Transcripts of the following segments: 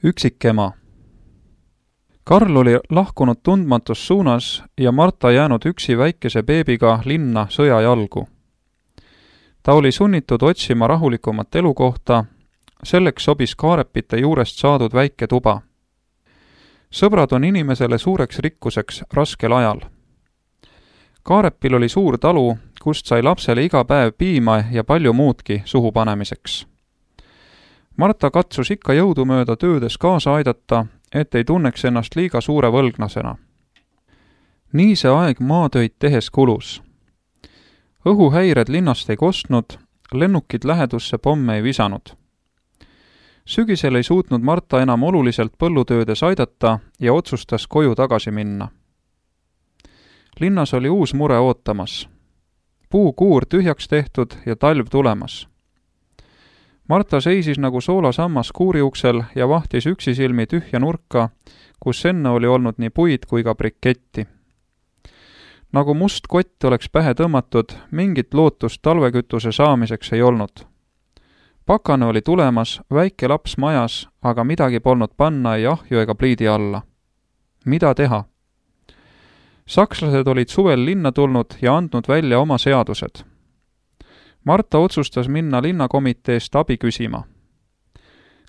Üksikema. Karl oli lahkunud tundmatus suunas ja Marta jäänud üksi väikese beebiga linna sõja jalgu. Ta oli sunnitud otsima rahulikumat elukohta, selleks sobis kaarepite juurest saadud väike tuba. Sõbrad on inimesele suureks rikkuseks raskel ajal. Kaarepil oli suur talu, kust sai lapsele iga päev piima ja palju muudki suhu panemiseks. Marta katsus ikka jõudumööda töödes kaasa aidata, et ei tunneks ennast liiga suure võlgnasena. Nii see aeg maatöid tehes kulus. Õhuhäired linnast ei kostnud, lennukid lähedusse pomme ei visanud. Sügisel ei suutnud Marta enam oluliselt põllutöödes aidata ja otsustas koju tagasi minna. Linnas oli uus mure ootamas. Puukuur tühjaks tehtud ja talv tulemas. Marta seisis nagu soolasammas kuuriuksel ja vahtis üksisilmi tühja nurka, kus enne oli olnud nii puid kui ka briketti. Nagu must kott oleks pähe tõmmatud, mingit lootust talvekütuse saamiseks ei olnud. Pakane oli tulemas, väike laps majas, aga midagi polnud panna ei ahju ega pliidi alla. Mida teha? Sakslased olid suvel linna tulnud ja andnud välja oma seadused. Marta otsustas minna linnakomiteest abi küsima.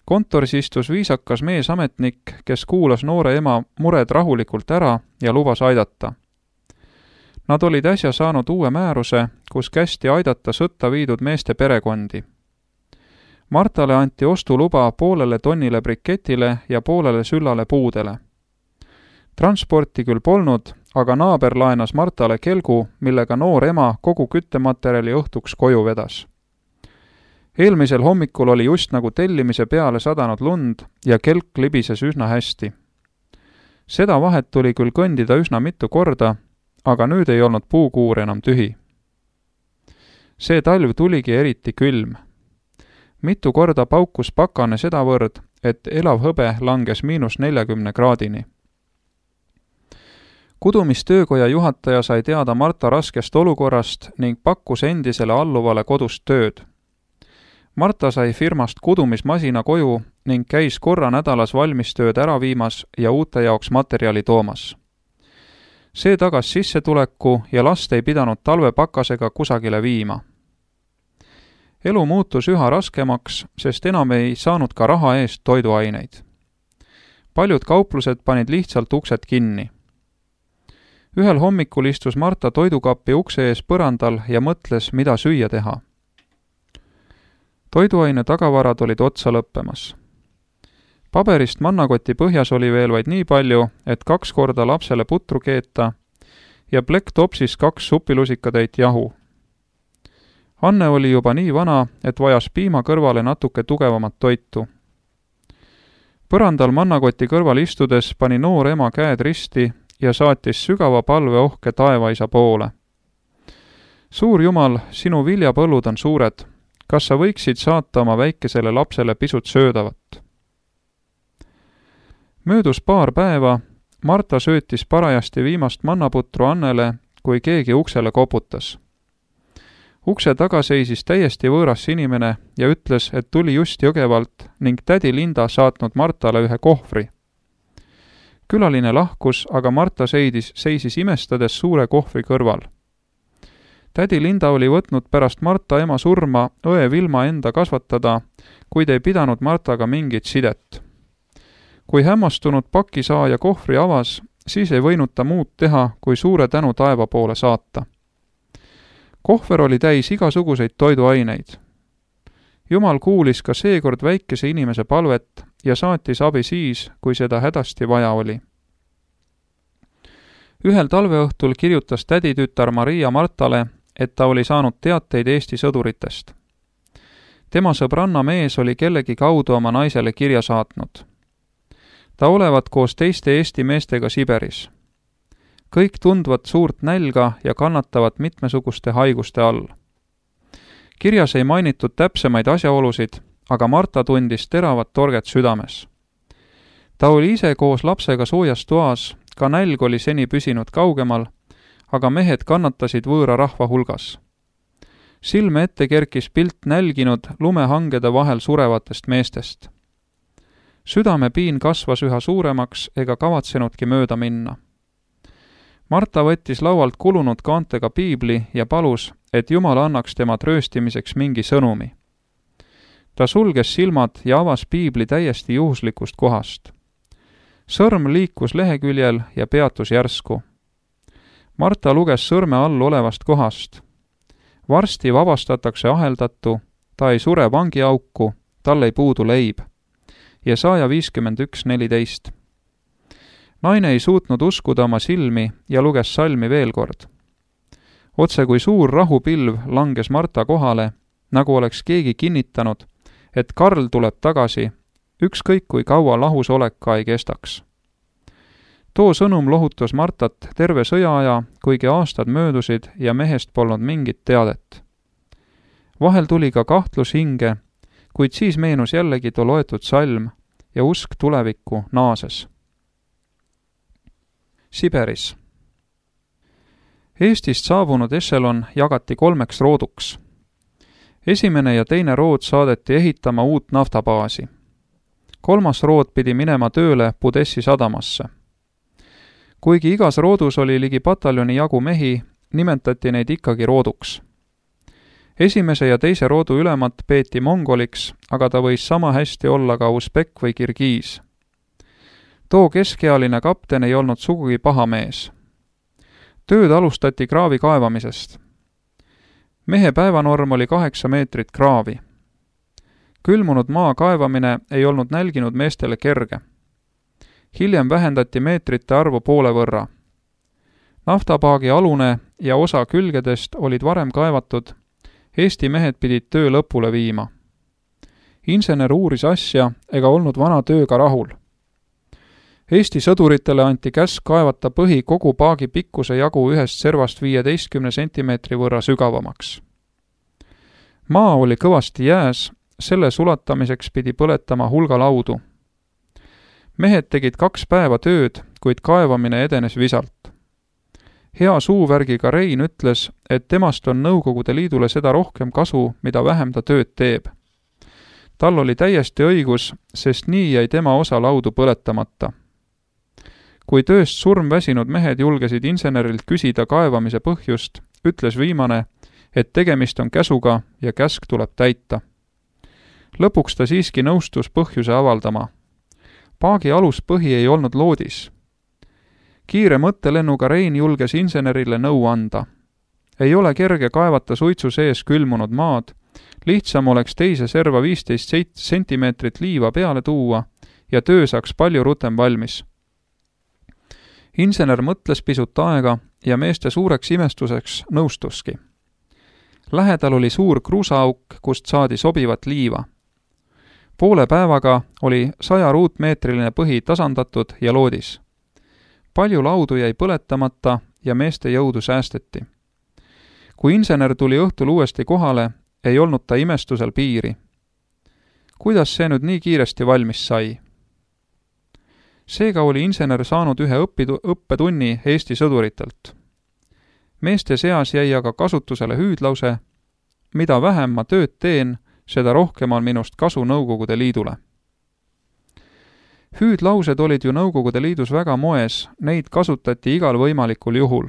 Kontoris istus viisakas meesametnik, kes kuulas noore ema mured rahulikult ära ja lubas aidata. Nad olid äsja saanud uue määruse, kus kästi aidata sõtta viidud meeste perekondi. Martale anti ostuluba 0,5 tonnile briketile ja 0,5 süllale puudele. Transporti küll polnud, aga naaber laenas Martale kelgu, millega noor ema kogu küttematerjali õhtuks koju vedas. Eelmisel hommikul oli just nagu tellimise peale sadanud lund ja kelk libises üsna hästi. Seda vahet tuli küll kõndida üsna mitu korda, aga nüüd ei olnud puukuur enam tühi. See talv tuligi eriti külm. Mitu korda paukus pakane sedavõrd, et elav hõbe langes -40 kraadini. Kudumistöökoja juhataja sai teada Marta raskest olukorrast ning pakkus endisele alluvale kodust tööd. Marta sai firmast kudumismasina koju ning käis korra nädalas valmistööd ära viimas ja uute jaoks materjali toomas. See tagas sissetuleku ja last ei pidanud talvepakasega kusagile viima. Elu muutus üha raskemaks, sest enam ei saanud ka raha eest toiduaineid. Paljud kauplused panid lihtsalt uksed kinni. Ühel hommikul istus Marta toidukappi ukse ees põrandal ja mõtles, mida süüa teha. Toiduaine tagavarad olid otsa lõppemas. Paberist mannakoti põhjas oli veel vaid nii palju, et 2 korda lapsele putru keeta ja plekk topsis 2 supilusikatäit jahu. Anne oli juba nii vana, et vajas piima kõrvale natuke tugevamat toitu. Põrandal mannakoti kõrval istudes pani noor ema käed risti ja saatis sügava palveohke taevaisa poole. Suur Jumal, sinu viljapõllud on suured. Kas sa võiksid saata oma väikesele lapsele pisut söödavat? Möödus paar päeva, Marta söötis parajasti viimast mannaputru Annele, kui keegi uksele koputas. Ukse taga seisis täiesti võõras inimene ja ütles, et tuli just Jõgevalt ning tädi Linda saatnud Martale ühe kohvri. Külaline lahkus, aga Marta seisis imestades suure kohvri kõrval. Tädi Linda oli võtnud pärast Marta ema surma õe Vilma enda kasvatada, kuid ei pidanud Martaga mingit sidet. Kui hämmastunud pakisaaja kohvri avas, siis ei võinud ta muud teha, kui suure tänu taeva poole saata. Kohver oli täis igasuguseid toiduaineid. Jumal kuulis ka seekord väikese inimese palvet ja saatis abi siis, kui seda hädasti vaja oli. Ühel talveõhtul kirjutas täditütar Maria Martale, et ta oli saanud teateid Eesti sõduritest. Tema sõbranna mees oli kellegi kaudu oma naisele kirja saatnud. Ta olevat koos teiste Eesti meestega Siberis. Kõik tundvad suurt nälga ja kannatavad mitmesuguste haiguste all. Kirjas ei mainitud täpsemaid asjaolusid, aga Marta tundis teravat torget südames. Ta oli ise koos lapsega soojas toas, ka nälg oli seni püsinud kaugemal, aga mehed kannatasid võõra rahva hulgas. Silme ette kerkis pilt nälginud lumehangede vahel surevatest meestest. Südamepiin kasvas üha suuremaks ega kavatsenudki mööda minna. Marta võttis laualt kulunud kaantega piibli ja palus, et Jumal annaks tema trööstimiseks mingi sõnumi. Ta sulges silmad ja avas piibli täiesti juhuslikust kohast. Sõrm liikus leheküljel ja peatus järsku. Marta luges sõrme all olevast kohast. Varsti vabastatakse aheldatu, ta ei sure vangiauku, tal ei puudu leib. Jesaja 51:14. Naine ei suutnud uskuda oma silmi ja luges salmi veel kord. Otse kui suur rahupilv langes Marta kohale, nagu oleks keegi kinnitanud, et Karl tuleb tagasi, ükskõik kui kaua lahusolek ka ei kestaks. Too sõnum lohutas Martat terve sõjaaja, kuigi aastad möödusid ja mehest polnud mingit teadet. Vahel tuli ka kahtlus hinge, kuid siis meenus jällegi too loetud salm ja usk tulevikku naases. Siberis. Eestist saabunud ešelon jagati 3 rooduks. Esimene ja teine rood saadeti ehitama uut naftabaasi. 3. rood pidi minema tööle Budessi sadamasse. Kuigi igas roodus oli ligi pataljoni jagu mehi, nimetati neid ikkagi rooduks. Esimese ja teise roodu ülemat peeti mongoliks, aga ta võis sama hästi olla ka usbek või kirgiis. Too keskealine kapten ei olnud sugugi paha mees. Tööd alustati kraavi kaevamisest. Mehe päevanorm oli 8 meetrit kraavi. Külmunud maa kaevamine ei olnud nälginud meestele kerge. Hiljem vähendati meetrite arvu poole võrra. Naftapaagi alune ja osa külgedest olid varem kaevatud, Eesti mehed pidid töö lõpule viima. Insener uuris asja ega olnud vana tööga rahul. Eesti sõduritele anti käsk kaevata põhi kogu paagi pikkuse jagu ühest servast 15 sentimeetri võrra sügavamaks. Maa oli kõvasti jääs, selle sulatamiseks pidi põletama hulga laudu. Mehed tegid 2 päeva tööd, kuid kaevamine edenes visalt. Hea suuvärgiga Rein ütles, et temast on Nõukogude Liidule seda rohkem kasu, mida vähem ta tööd teeb. Tal oli täiesti õigus, sest nii jäi tema osa laudu põletamata. Kui tööst surmväsinud mehed julgesid insenerilt küsida kaevamise põhjust, ütles viimane, et tegemist on käsuga ja käsk tuleb täita. Lõpuks ta siiski nõustus põhjuse avaldama. Paagi aluspõhi ei olnud loodis. Kiire mõttelennuga Rein julges insenerile nõu anda. Ei ole kerge kaevata suitsu sees külmunud maad, lihtsam oleks teise serva 15 sentimeetrit liiva peale tuua ja töö saaks palju rutem valmis. Insener mõtles pisut aega ja meeste suureks imestuseks nõustuski. Lähedal oli suur kruusaauk, kust saadi sobivat liiva. Poole päevaga oli 100 ruutmeetriline põhi tasandatud ja loodis. Palju laudu jäi põletamata ja meeste jõudu säästeti. Kui insener tuli õhtul uuesti kohale, ei olnud ta imestusel piiri. Kuidas see nüüd nii kiiresti valmis sai? Seega oli insener saanud ühe õppetunni Eesti sõduritelt. Meeste seas jäi aga kasutusele hüüdlause, mida vähem ma tööd teen, seda rohkem on minust kasu Nõukogude Liidule. Hüüdlaused olid ju Nõukogude Liidus väga moes, neid kasutati igal võimalikul juhul.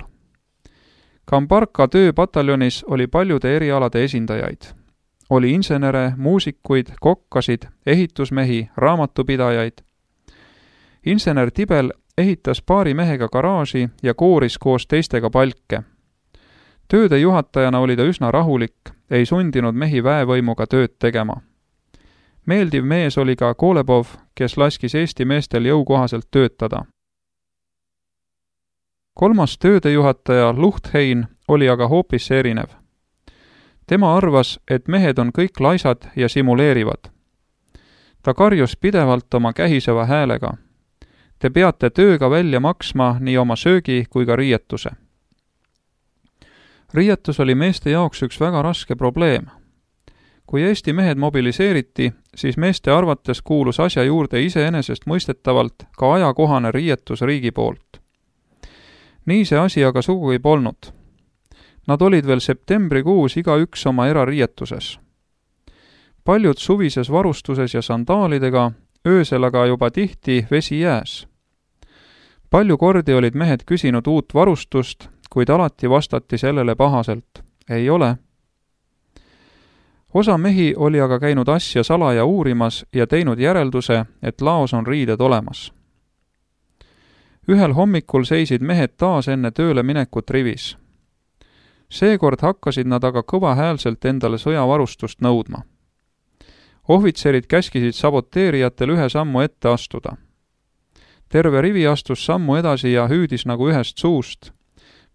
Kambarka tööpataljonis oli paljude erialade esindajaid. Oli insenere, muusikuid, kokkasid, ehitusmehi, raamatupidajaid. Insener Tibel ehitas paari mehega garaaži ja kooris koos teistega palke. Tööde juhatajana oli ta üsna rahulik, ei sundinud mehi väevõimuga tööd tegema. Meeldiv mees oli ka Kolebov, kes laskis Eesti meestel jõukohaselt töötada. 3. töödejuhataja Luhthein oli aga hoopis erinev. Tema arvas, et mehed on kõik laisad ja simuleerivad. Ta karjus pidevalt oma kähiseva häälega. Te peate tööga välja maksma nii oma söögi kui ka riietuse. Riietus oli meeste jaoks üks väga raske probleem. Kui Eesti mehed mobiliseeriti, siis meeste arvates kuulus asja juurde iseenesest mõistetavalt ka ajakohane riietus riigi poolt. Nii see asi aga sugugi polnud. Nad olid veel septembrikuus igaüks oma erariietuses. Paljud suvises varustuses ja sandaalidega, öösel aga juba tihti vesi jääs. Palju kordi olid mehed küsinud uut varustust, kuid alati vastati sellele pahaselt. Ei ole. Osa mehi oli aga käinud asja salaja uurimas ja teinud järelduse, et laos on riided olemas. Ühel hommikul seisid mehed taas enne tööle minekut rivis. Seekord hakkasid nad aga kõvahäälselt endale sõjavarustust nõudma. Ohvitserid käskisid saboteerijatel ühe sammu ette astuda. Terve rivi astus sammu edasi ja hüüdis nagu ühest suust.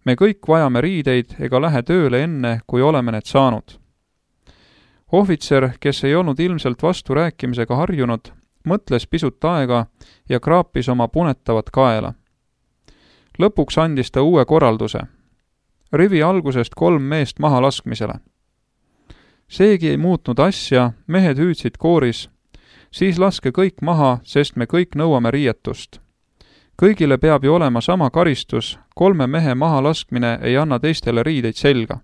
Me kõik vajame riideid ega lähe tööle enne, kui oleme need saanud. Ohvitser, kes ei olnud ilmselt vasturääkimisega harjunud, mõtles pisut aega ja kraapis oma punetavat kaela. Lõpuks andis ta uue korralduse. Rivi algusest 3 meest maha laskmisele. Seegi ei muutnud asja, mehed hüüdsid kooris. Siis laske kõik maha, sest me kõik nõuame riietust. Kõigile peab ju olema sama karistus, 3 mehe maha laskmine ei anna teistele riideid selga.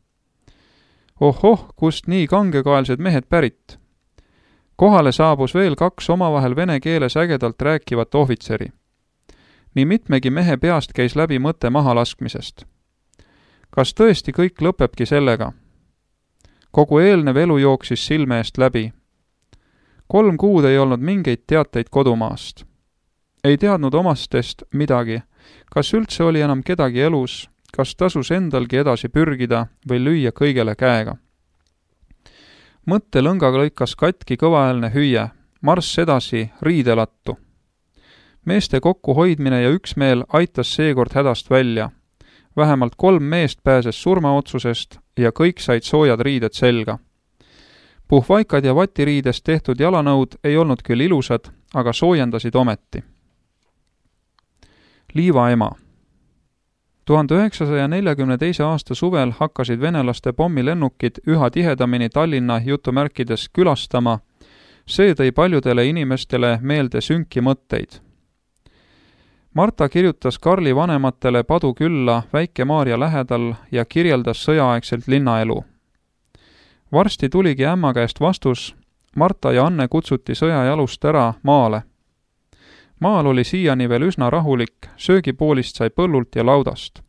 Ohoh, kust nii kangekaelsed mehed pärit? Kohale saabus veel 2 omavahel vene keeles ägedalt rääkivat ohvitseri. Nii mitmegi mehe peast käis läbi mõte maha laskmisest. Kas tõesti kõik lõpebki sellega? Kogu eelnev elu jooksis silme eest läbi. 3 kuud ei olnud mingeid teateid kodumaast. Ei teadnud omastest midagi, kas üldse oli enam kedagi elus, kas tasus endalgi edasi pürgida või lüüa kõigele käega. Mõttelõngaga lõikas katki kõvaäälne hüüe, marss edasi riidelattu. Meeste kokkuhoidmine ja üksmeel aitas seekord hädast välja. Vähemalt 3 meest pääses surmaotsusest ja kõik said soojad riided selga. Puhvaikad ja vatiriidest tehtud jalanõud ei olnud küll ilusad, aga soojendasid ometi. Liivaema. 1942. aasta suvel hakkasid venelaste pommilennukid üha tihedamini Tallinna jutumärkides külastama. See tõi paljudele inimestele meelde sünki mõtteid. Marta kirjutas Karli vanematele Padukülla Väike-Maarja lähedal ja kirjeldas sõjaaegselt linnaelu. Varsti tuligi ämma käest vastus, Marta ja Anne kutsuti sõjajalust ära maale. Maal oli siiani veel üsna rahulik, söögipoolist sai põllult ja laudast.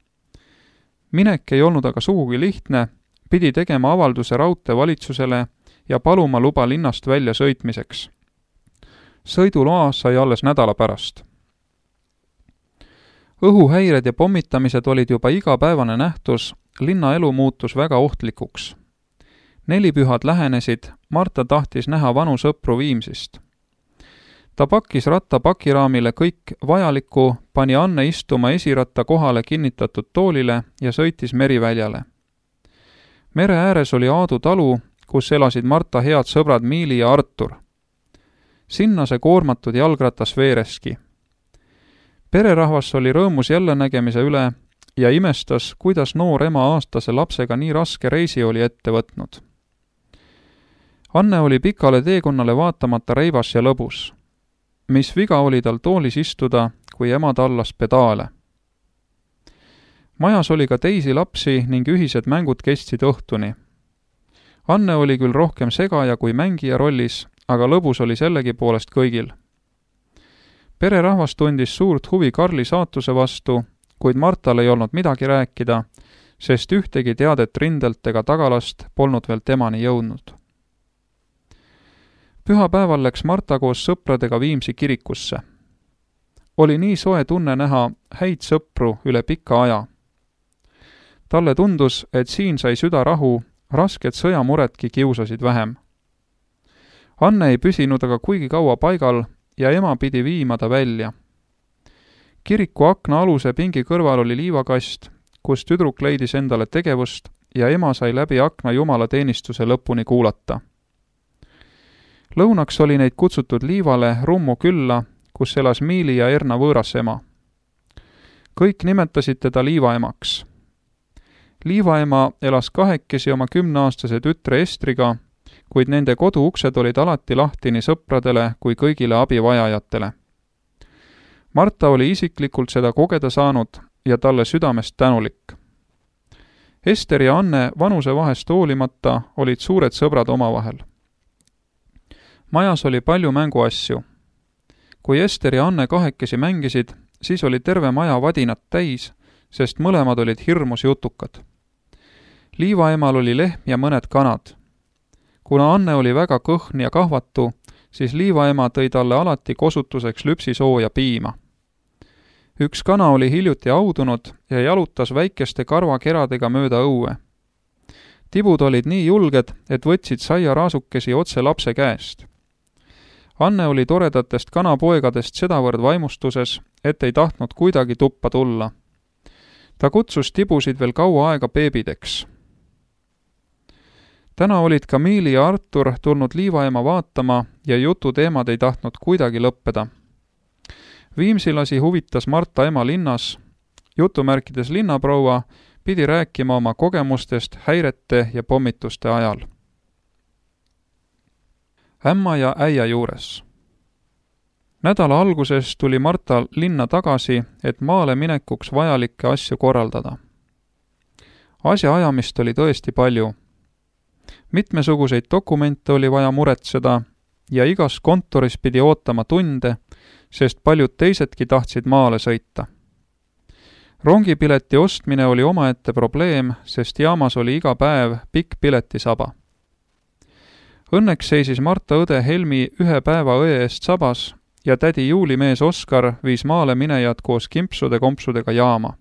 Minek ei olnud aga sugugi lihtne, pidi tegema avalduse raudteevalitsusele ja paluma luba linnast välja sõitmiseks. Sõiduloa sai alles nädala pärast. Õhuhäired ja pommitamised olid juba igapäevane nähtus, linnaelu muutus väga ohtlikuks. 4 pühad lähenesid, Marta tahtis näha vanu sõpru Viimsist. Ta pakkis ratta pakiraamile kõik vajalikku, pani Anne istuma esiratta kohale kinnitatud toolile ja sõitis meriväljale. Mere ääres oli Aadu talu, kus elasid Marta head sõbrad Miili ja Artur. Sinna see koormatud jalgratas veereski. Pererahvas oli rõõmus jälle nägemise üle ja imestas, kuidas noor ema aastase lapsega nii raske reisi oli ette võtnud. Anne oli pikale teekonnale vaatamata reivas ja lõbus. Mis viga oli tal toolis istuda, kui ema tallas pedaale. Majas oli ka teisi lapsi ning ühised mängud kestsid õhtuni. Anne oli küll rohkem segaja kui mängija rollis, aga lõbus oli sellegi poolest kõigil. Pererahvas tundis suurt huvi Karli saatuse vastu, kuid Martal ei olnud midagi rääkida, sest ühtegi teadet rindelt ega tagalast polnud veel temani jõudnud. Pühapäeval läks Marta koos sõpradega Viimsi kirikusse. Oli nii soe tunne näha häid sõpru üle pika aja. Talle tundus, et siin sai süda rahu, rasked sõjamuredki kiusasid vähem. Anne ei püsinud aga kuigi kaua paigal ja ema pidi viima ta välja. Kiriku akna aluse pingi kõrval oli liivakast, kus tüdruk leidis endale tegevust ja ema sai läbi akna jumalateenistuse lõpuni kuulata. Lõunaks oli neid kutsutud liivale Rummu külla, kus elas Miili ja Erna võõras ema. Kõik nimetasid teda liivaemaks. Liivaema elas kahekesi oma 10-aastase tütre Estriga, kuid nende koduuksed olid alati lahti nii sõpradele kui kõigile abivajajatele. Marta oli isiklikult seda kogeda saanud ja talle südamest tänulik. Ester ja Anne vanusevahest hoolimata olid suured sõbrad omavahel. Majas oli palju mänguasju. kui Ester ja Anne kahekesi mängisid, siis oli terve maja vadinat täis, sest mõlemad olid hirmus jutukad. Liivaemal oli lehm ja mõned kanad. Kuna Anne oli väga kõhn ja kahvatu, siis liivaema tõi talle alati kosutuseks lüpsisooja piima. Üks kana oli hiljuti audunud ja jalutas väikeste karvakeradega mööda õue. Tibud olid nii julged, et võtsid saiaraasukesi otse lapse käest. Anne oli toredatest kanapoegadest sedavõrd vaimustuses, et ei tahtnud kuidagi tuppa tulla. Ta kutsus tibusid veel kaua aega beebideks. Täna olid Camille ja Artur tulnud liivaema vaatama ja jututeemad ei tahtnud kuidagi lõppeda. Viimsilasi huvitas Marta ema linnas. Jutumärkides linnaproua pidi rääkima oma kogemustest häirete ja pommituste ajal. Ämma ja äia juures. Nädala alguses tuli Marta linna tagasi, et maale minekuks vajalikke asju korraldada. Asjaajamist oli tõesti palju. Mitmesuguseid dokumente oli vaja muretseda ja igas kontoris pidi ootama tunde, sest paljud teisedki tahtsid maale sõita. Rongipileti ostmine oli omaette probleem, sest jaamas oli iga päev pikk piletisaba. Õnneks seisis Marta õde Helmi ühe päeva õe eest sabas ja tädi Juulimees Oskar viis maale minejad koos kimpsude-kompsudega jaama.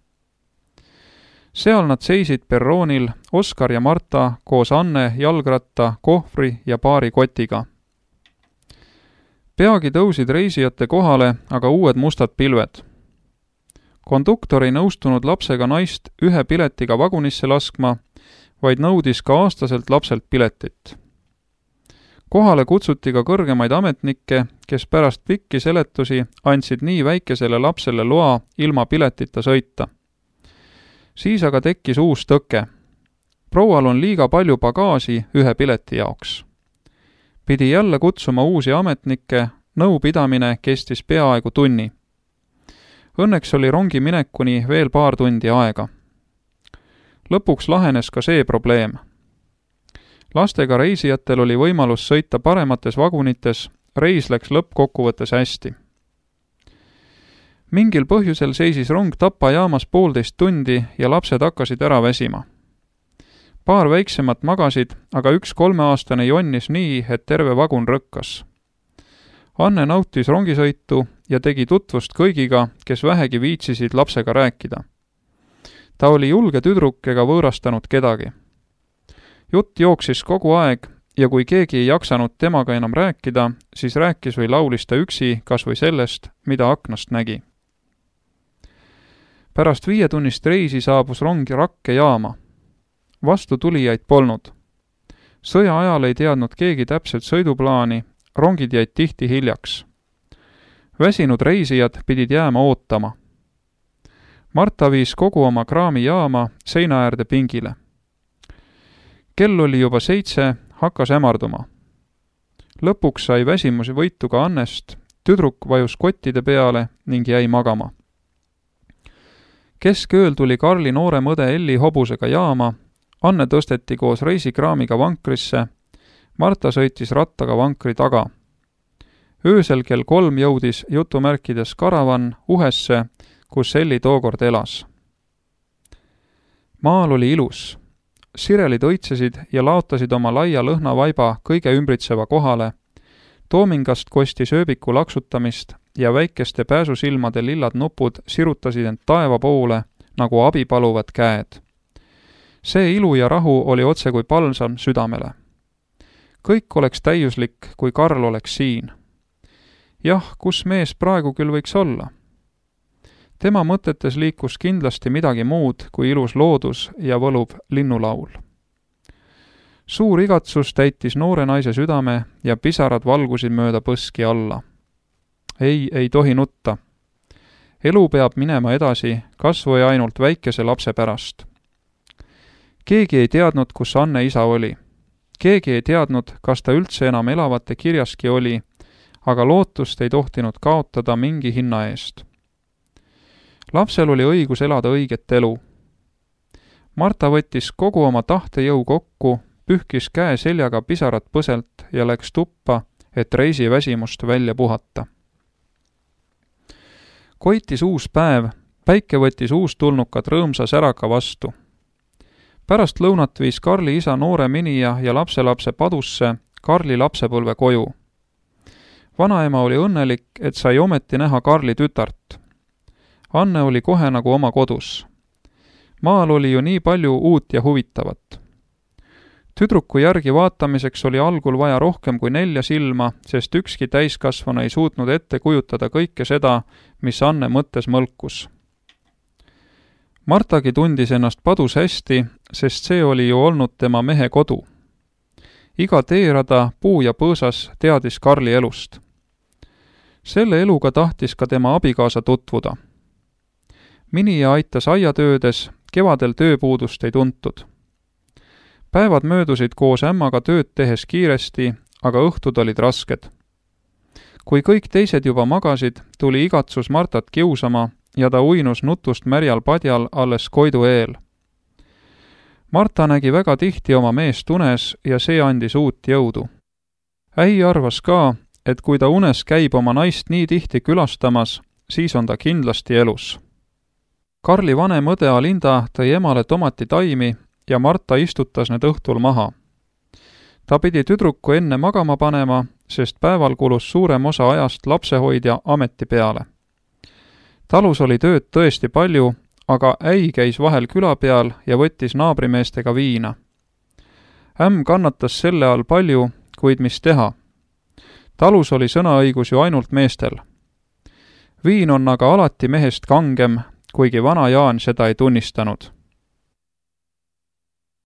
Seal nad seisid perroonil, Oskar ja Marta koos Anne, jalgratta, kohvri ja paari kotiga. Peagi tõusid reisijate kohale aga uued mustad pilved. Konduktor ei nõustunud lapsega naist ühe piletiga vagunisse laskma, vaid nõudis ka aastaselt lapselt piletit. Kohale kutsuti ka kõrgemaid ametnikke, kes pärast pikki seletusi andsid nii väikesele lapsele loa ilma piletita sõita. Siis aga tekkis uus tõke. Proual on liiga palju bagaasi ühe pileti jaoks. Pidi jälle kutsuma uusi ametnikke, nõupidamine kestis peaaegu tunni. Õnneks oli rongi minekuni veel paar tundi aega. Lõpuks lahenes ka see probleem. Lastega reisijatel oli võimalus sõita paremates vagunites, reis läks lõppkokkuvõttes hästi. Mingil põhjusel seisis rong Tapa jaamas 1,5 tundi ja lapsed hakkasid ära väsima. Paar väiksemat magasid, aga üks 3-aastane jonnis nii, et terve vagun rõkkas. Anne nautis rongisõitu ja tegi tutvust kõigiga, kes vähegi viitsisid lapsega rääkida. Ta oli julge tüdruk ega võõrastanud kedagi. Jutt jooksis kogu aeg ja kui keegi ei jaksanud temaga enam rääkida, siis rääkis või laulis ta üksi kas või sellest, mida aknast nägi. Pärast 5-tunnist reisi saabus rong Rakke jaama. Vastu tulijaid polnud. Sõja ajal ei teadnud keegi täpselt sõiduplaani, rongid jäid tihti hiljaks. Väsinud reisijad pidid jääma ootama. Marta viis kogu oma kraami jaama seina äärde pingile. Kell oli juba 7, hakkas hämarduma. Lõpuks sai väsimusi võitu ka Annest, tüdruk vajus kottide peale ning jäi magama. Keskööl tuli Karli noorem õde Elli hobusega jaama, Anne tõsteti koos reisikraamiga vankrisse, Marta sõitis rattaga vankri taga. Öösel kell 3 jõudis jutumärkides karavan Uhesse, kus Elli tookord elas. Maal oli ilus. Sirelid õitsesid ja laotasid oma laia lõhnavaiba kõige ümbritseva kohale. Toomingast kostis ööbiku laksutamist ja väikeste pääsusilmade lillad nupud sirutasid end taeva poole nagu abi paluvad käed. See ilu ja rahu oli otse kui palsam südamele. Kõik oleks täiuslik, kui Karl oleks siin. Jah, kus mees praegu küll võiks olla? Tema mõtetes liikus kindlasti midagi muud kui ilus loodus ja võluv linnulaul. Suur igatsus täitis noore naise südame ja pisarad valgusid mööda põski alla. Ei tohi nutta. Elu peab minema edasi, kas või ainult väikese lapse pärast. Keegi ei teadnud, kus Anne isa oli. Keegi ei teadnud, kas ta üldse enam elavate kirjaski oli, aga lootust ei tohtinud kaotada mingi hinna eest. Lapsel oli õigus elada õiget elu. Marta võttis kogu oma tahtejõu kokku, pühkis käe seljaga pisarad põselt ja läks tuppa, et reisiväsimust välja puhata. Koitis uus päev, päike võttis uustulnukad rõõmsa säraka vastu. Pärast lõunat viis Karli isa noore minija ja lapselapse Padusse Karli lapsepõlve koju. Vanaema oli õnnelik, et sai ometi näha Karli tütart. Anne oli kohe nagu oma kodus. Maal oli ju nii palju uut ja huvitavat. Tüdruku järgi vaatamiseks oli algul vaja rohkem kui 4 silma, sest ükski täiskasvanu ei suutnud ette kujutada kõike seda, mis Anne mõttes mõlkus. Martagi tundis ennast Padus hästi, sest see oli ju olnud tema mehe kodu. Iga teerada, puu ja põõsas teadis Karli elust. Selle eluga tahtis ka tema abikaasa tutvuda. Minija aitas aiatöödes, kevadel tööpuudust ei tuntud. Päevad möödusid koos ämmaga tööd tehes kiiresti, aga õhtud olid rasked. Kui kõik teised juba magasid, tuli igatsus Martat kiusama ja ta uinus nutust märjal padjal alles koidu eel. Marta nägi väga tihti oma meest unes ja see andis uut jõudu. Äi arvas ka, et kui ta unes käib oma naist nii tihti külastamas, siis on ta kindlasti elus. Karli vanem õde Alinda tõi emale tomatitaimi ja Marta istutas need õhtul maha. Ta pidi tüdruku enne magama panema, sest päeval kulus suurem osa ajast lapsehoidja ameti peale. Talus oli tööd tõesti palju, aga äi käis vahel küla peal ja võttis naabrimeestega viina. Ämm kannatas selle all palju, kuid mis teha? Talus oli sõnaõigus ju ainult meestel. Viin on aga alati mehest kangem, kuigi vana Jaan seda ei tunnistanud.